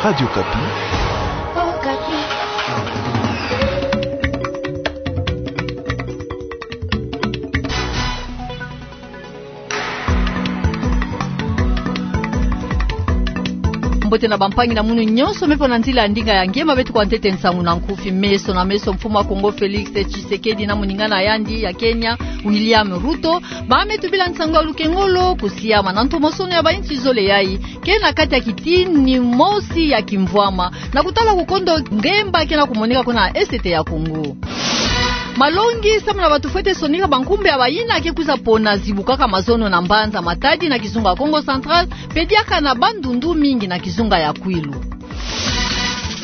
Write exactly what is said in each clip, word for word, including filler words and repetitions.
Radio Okapi. Mbote na bampangi na munu nyonso me fo na nzila ya ndinga ya nge ma beto kwa ntete nsangu na nkufi. Meso na meso, mfumu wa Kongo Felix Tshisekedi na moningana na yandi ya Kenya William Ruto, ba me tubila nsangu ya lukengolo kusiama na ntomosono ya bainsi zole yai, ke na kati ya kitini mosi ya kimvwama, na kutala kukondo ngemba ke na kumoneka kuna Est ya Kongo. Malongi samu na bato fwete sonika bankumbu ya bayina ke kwiza pona zibukaka mazono na mbanza Matadi na kizunga Kongo Central, pe diaka na Bandundu, mingi na kizunga ya Kwilu.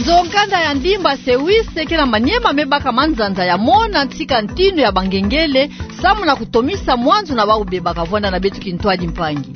Nzo-nkanda ya ndimba Sewise ke na Maniema me baka manzanza ya mona ntika ntinu ya bangengele, samu na kutomisa mwanzu na bau bebaka. Vwanda na beto kintwadi mpangi.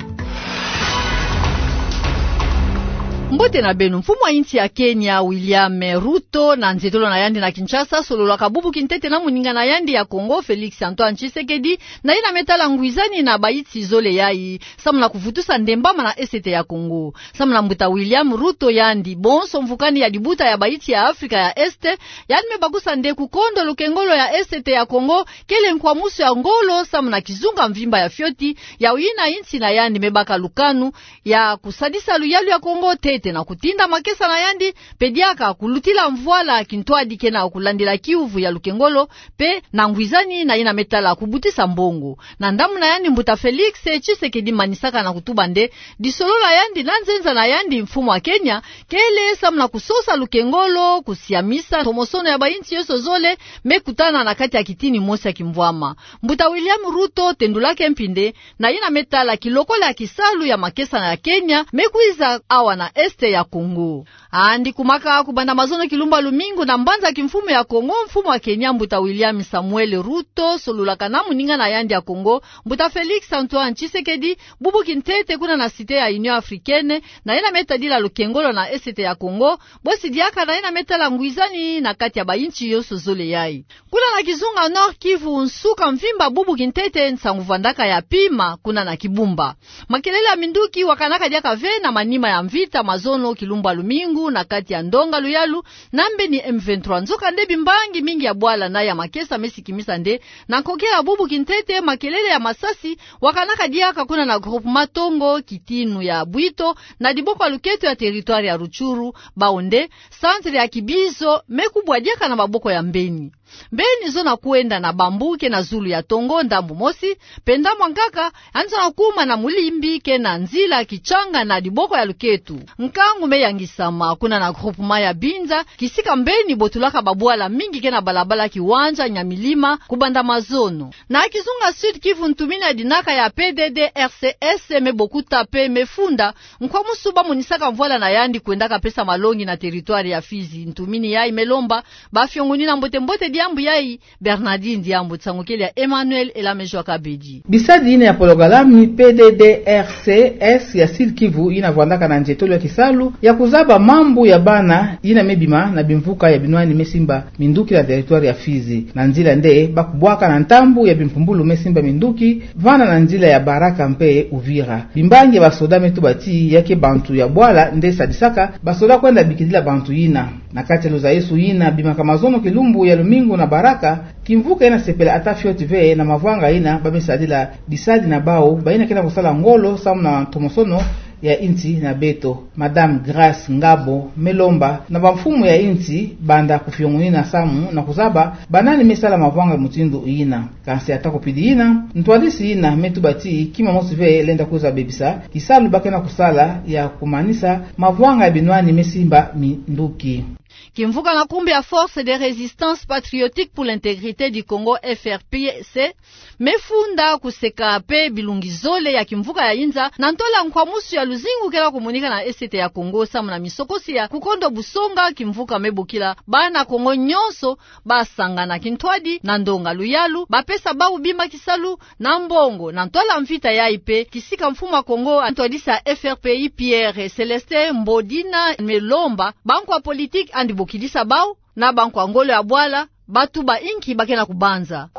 Mbote na beno. Mfumu wa insi ya Kenya, William Ruto, na nzietolo na yandi na Kinshasa, sololaka bubu kintete na moningana na yandi ya Kongo, Felix Antoine Tshisekedi, na yina me tala ngwizani na bainsi zole yai, samu na kuvutusa nde mbama na Est ya Kongo. Samu na mbuta William Ruto, yandi bonso mvukani ya dibuta ya bainsi ya Afrika ya Est, yandi me bakusa nde kukondo lukengolo ya Est ya Kongo kele nkwamusu ya ngolo samu na kizunga mvimba ya fioti, ya yina insi na yandi me baka lukanu ya kusadisa luyalu ya Kongo ntete na kutinda makesa na yandi, pe diaka kulutila mvwala kintwadi ke na kulandila kiuvu ya lukengolo, pe na ngwizani na yina me tala kubutisa mbongo. Na ndambu na yandi, mbuta Felix Tshisekedi manisaka na kutuba nde disolo la yandi na nzenza na yandi mfumu wa Kenya kele samu na kusosa lukengolo, kusiamisa ntomosono ya bainsi yonso zole me kutana na kati ya kitini mosi ya kimvwama. Mbuta William Ruto tendulaka mpi nde na yina me tala kilokola ya kisalu ya makesa na ya Kenya me kwiza awa na Est ya Kongo. Andi kumaka kubanda mazono kilumbu ya lumingu na mbanza kimfumu ya Kongo, mfumu wa Kenya, mbuta William Samuel Ruto, sololaka na moningana na yandi ya Kongo, mbuta Felix Antoine Tshisekedi, bubu kintete kuna na Cité ya Union Africaine, na yina me tadila lukengolo na Est ya Kongo, bosi diaka na yina me tala ngwizani na kati ya bainsi yonso zole yai. Kuna na kizunga Nord-Kivu, nsuka mvimba bubu kintete nsangu vwandaka ya pima kuna na Kibumba. Makelele ya minduki wakanaka diaka ve na manima ya mvita mazono kilumbu ya lumingu na kati ya ndonga luyalu na mbeni M vingt-trois. Nzokande bimbangi mingi ya bwala na ya makesa me sikimisa nde na nkokila bubu kintete makelele ya masasi wakanaka diaka kuna na groupement Tongo, kitinu ya Bwito, na diboko ya luketo ya territoire ya Rutshuru, bau nde centre ya kibizo me kubwa diaka na maboko ya mbeni. Mbeni zona kwenda na bambu ke na zulu ya Tongo ndambu mosi, pe ndambu ya nkaka yandi zona kuma na mulimbi ke na nzila Kitshanga na diboko ya luketo. Nkangu me yangisama kuna na groupement ya Binza, kisika mbeni botulaka babwala mingi ke na balabala Kiwanja Nyamilima kubanda mazono. Na kizunga Sud-Kivu, ntumini ya dinaka ya P D D R C S me bokuta pe me funda nkwamusu ba monisaka mvwala na yandi kwendaka pesa malongi na territoire ya Fizi. Ntumini yai me lomba ba fiongonina mbote-mbote diambu yai. Bernardine Diambu, nsangu kele ya Emmanuel Elamejo Akabedi. Bisadi yina ya pologalami P D D R C S ya Sud-Kivu yina vwandaka na nzietolo ya kisalu ya kuzaba mambu ya bana yina me bima na bimvuka ya binwani me simba minduki na territoire ya Fizi. Na nzila nde ba kubwaka na ntambu ya bimpumbulu me simba minduki, vana na nzila ya Baraka mpe Uvira. Bimbangi ya basoda me tuba ti ya ke bantu ya bwala nde sadisaka basoda kwenda bikidila bantu yina. Na kati ya luzayisu yina bimaka mazono kilumbu ya lumingu na Baraka, kimvuka yina sepela ata fioti ve na mavwanga yina ba me sadila bisadi na bau, bayina ke na kusala ngolo samu na ntomosono ya insi na beto. Madame Grace Ngabo me lomba na bamfumu ya insi banda kufiongonina samu na kuzaba banani me sala mavwanga mutindu yina. Kansi ata kupidi yina, ntwadisi yina me tuba ti kima mosi ve lenda kwiza bebisa kisalu ba ke na kusala ya kumanisa mavwanga ya binwani me simba minduki. Kimvuka na nkumbu ya Force de Résistance Patriotique pour l'Intégrité du Congo, F R P C, me funda kuseka pe bilungi zole ya kimvuka ya inza na ntola nkwamusu ya luzingu kela kumonika na Est ya Congo samu na misokosi ya kukondo busonga kimvuka me bokila bana Congo nyonso ba sangana kintwadi na ndonga luyalu, ba pesa bau bima kisalu na mbongo na ntola mvita yai pe, kisika mfumu wa Congo a ntwadisa F R P I Pierre Célestin Mbodina me lomba bankwa politique andi bokidisa bau na bankwa ngolo ya bwala ba tuba inki ba ke na kubanza.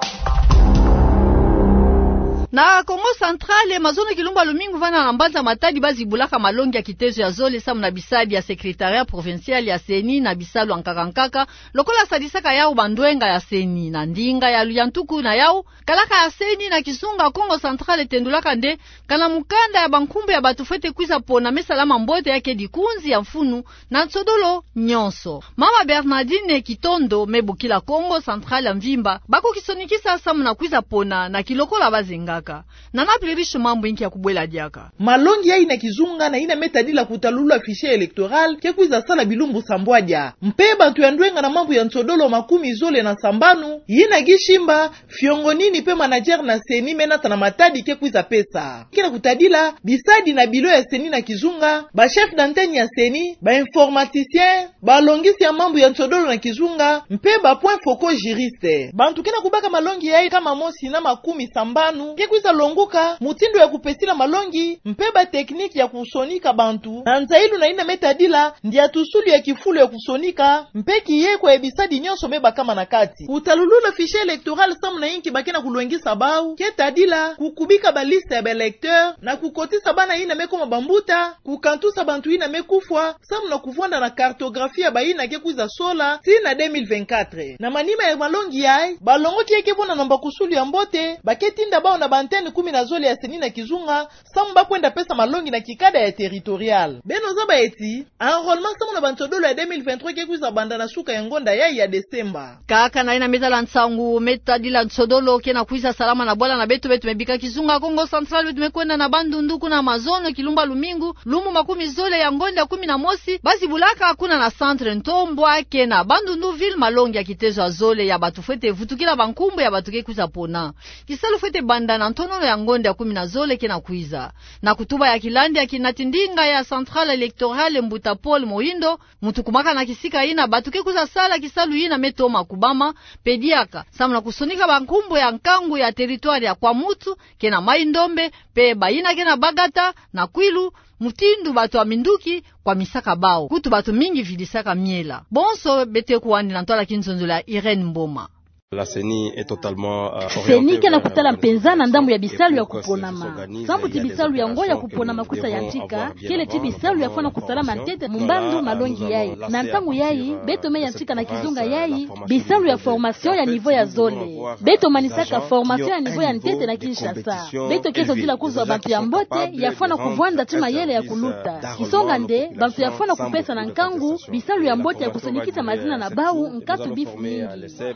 Na Kongo Central, mazono kilumbu ya lumingu vana na mbanza Matadi bazi bulaka malongi ya kitezo ya zole samu na bisadi ya Secrétariat Provincial ya CENI na bisalu ya nkaka nkaka, lokola sadisaka yau bandwenga ya CENI. Na ndinga ya luyantuku na yau, kalaka ya CENI na kizunga, Kongo Central etendulaka nde kana mukanda ya bankumbu ya bato fwete kwiza pona me salama mbote ya ke dikunzi ya mfunu na nsodolo nyonso. Mama Bernardine Kitondo me bokila Kongo Central ya mvimba bakoki sonikisa samu na kwiza pona na kilokola bazengaka. Nana Plerish Mambu inki ya kubwela diaka. Malongi yai na kizunga na yina me tadila kutalulula fichier électoral ke kwiza sala bilumbu sambwadia. Mpe bantu ya ndwenga na mambu ya nsodolo makumi zole na sambanu, yina Guy Shimba, Fiongonini mpe manager na CENI me nata na Matadi ke kwiza pesa. Ke na kutadila bisadi na bilo ya CENI na kizunga, ba chef d'antenne ya CENI, ba informaticien, balongisi ya mambu ya nsodolo na kizunga, mpe ba points focaux juristes. Bantu ke na kubaka malongi yai nkama mosi na makumi sambanu ke kwiza longuka mutindu ya kupesila malongi, mpe ba technique ya kusonika bantu, na nzailu na yina me tadila ndiatusulu ya kifulu ya kusonika, mpe kiyekwa ya bisadi nyonso me bakama na kati. Kutalulula fichier électoral samu na yinki ba ke na kulwengisa bau, ke tadila kukubika ba liste ya ba électeurs, na kukotisa bana yina me koma bambuta, kukantusa bantu yina me kufwa, samu na kuvwanda na cartographie ya bayina ke kwiza sola, tii na deux mille vingt-quatre. Na manima ya malongi yai, balongoki ya ke vwanda na mbakusulu ya mbote, ba ke tinda bau na ba antenne kumi na zole ya CENI na kizunga, samu ba kwenda pesa malongi na kikada ya territorial. Beno zaba eti, enrôlement samu na bansodolo ya deux mille vingt-trois ke kwiza banda na suka ya ngonda yai ya Desemba. Kaka na yina me zala nsangu me tadila nsodolo ke na kwiza salama na bwala na beto, beto me bika kizunga Kongo Central, beto me kwenda na Bandundu, kuna mazono kilumbu ya lumingu, lumbu makumi zole ya ngonda kumi na mosi, bazi bulaka kuna na centre Ntombwa, ke na Bandundu ville, malongi ya kitezo ya zole ya bato fwete vutukila bankumbu ya bato ke kwiza pona. Kisalu fwete banda na ntonono ya ngonda ya kumi na zole ke na kwiza. Na kutuba ya kilandi ya kinati ndinga ya Centrale Électorale, Mbuta Paul Mohindo, muntu kumaka na kisika yina bato ke kwiza sala kisalu yina me toma kubama, mpe diaka samu na kusonika bankumbu ya nkangu ya territoire ya Kwamouth, ke na Mai-Ndombe, mpe bayina ke na Bagata na Kwilu, mutindu bato ya minduki kwamisaka bau. Kutu bato mingi vidisaka miela. Bonso beto ke kuwani na ntwala kinzonzolo ya Irène Mboma. La CENI est totalement, euh, CENI ke na kutala mpenza na ndambu ya bisalu ya kuponama. Sambu ti bisalu yango ya kuponama kwisa yantika, kele ti bisalu ya fwana kusalama ntete mu mbandu malongi yai. Na ntangu yai, beto me yantika na kizunga yai bisalu ya formation ya niveau ya zole. Beto manisaka formation ya niveau ya ntete na Kinshasa. Beto ke zodila kuzwa bantu ya mbote ya fwana kuvwanda ti mayele ya kuluta. Kisonga nde, bantu ya fwana kupesa na nkangu bisalu ya mbote ya kusonikisa mazina na bau, nkatu bifu mingi.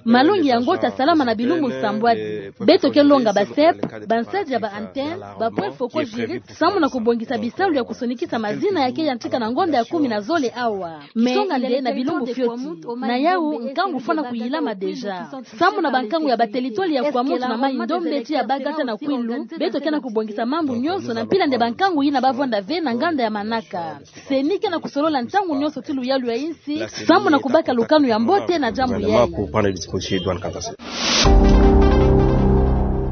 Malongi yango ta salama na bilumbu nsambwadi. Beto ke longa ba CEP, bansadi ya ba antennes, ba points focaux juristes, samu na kubongisa bisalu ya kusonikisa mazina ya ke yantika na ngonda ya kumi na zole awa. Kisonga nde na bilumbu fioti, na yau nkangu fwana kuyilama déjà. Samu na bankangu ya ba territoire ya Kwamouth na Mai-Ndombe ti ya Bagata na Kwilu, beto ke na kubongisa mambu nyonso na mpila nde bankangu yina ba vwanda ve na nganda ya manaka. CENI ke na kusolola ntangu nyonso ti luyalu ya insi, samu na kubaka lukanu ya mbote na diambu yai.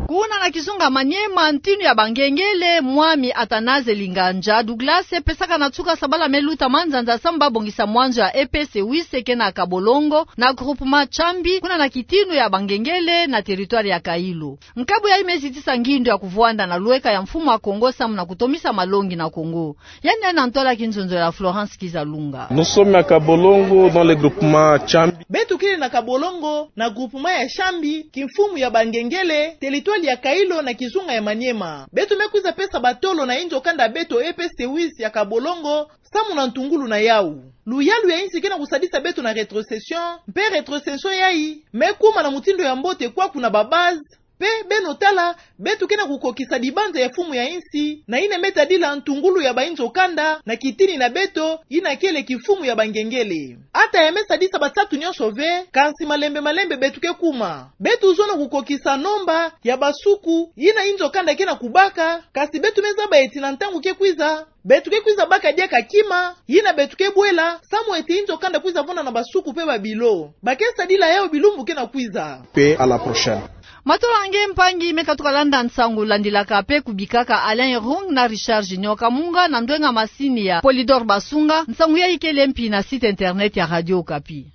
Kuna na kizunga Maniema, ntinu ya bangengele, Mwami Athanase Linganja Douglas, pesaka na nsuka sabala me luta manzanza samu ba bongisa mwanzo ya EPC huit ke na Kabolongo, na groupement Chambi, kuna na kitinu ya bangengele, na territoire ya Kailo. Nkabu yai me zitisa ngindu ya kuvwanda na lweka ya mfumu a Kongo samu na kutomisa malongi na Kongo. Yandi yandi na ntwala kinzonzolo ya Florence Kizalunga. Nous sommes à Kabolongo, dans le groupement Chambi. Beto kele na Kabolongo, na groupement ya Chambi, kimfumu ya bangengele, territoire ya Kailo na kizunga ya Maniema. Beto me kwiza pesa batolo na inzo kanda beto EPC huit ya Kabolongo, samu na ntungulu na yau. Luyalu ya insi ke na kusadisa beto na rétrocession, mpe rétrocession yai me kuma na mutindu ya mbote kwaku na ba base, mpe beno tala, beto ke na kukokisa dibanza ya mfumu ya insi, na yina me tadila ntungulu ya bainzo kanda, na kitini na beto, yina kele kimfumu ya bangengele. Ata ya me sadisa basatu nyonso ve, kansi malembe malembe beto ke kuma. Beto zono kukokisa nomba ya basuku, yina inzo kanda ke na kubaka, kansi beto me zaba eti na ntangu ke kwiza, beto ke kwiza baka diaka kima, yina beto ke bwela, samu eti inzo kanda kwiza vwanda na basuku mpe babilo. Ba ke sadila yau bilumbu ke na kwiza. Mpe à la prochaine. Matola nge mpangi me katuka landa nsangu, landilaka mpe kubikaka Alain Rung na Richard Junior Kamunga na ndwenga masini ya Polydor Basunga, nsangu yai kele mpi na site internet ya Radio Okapi.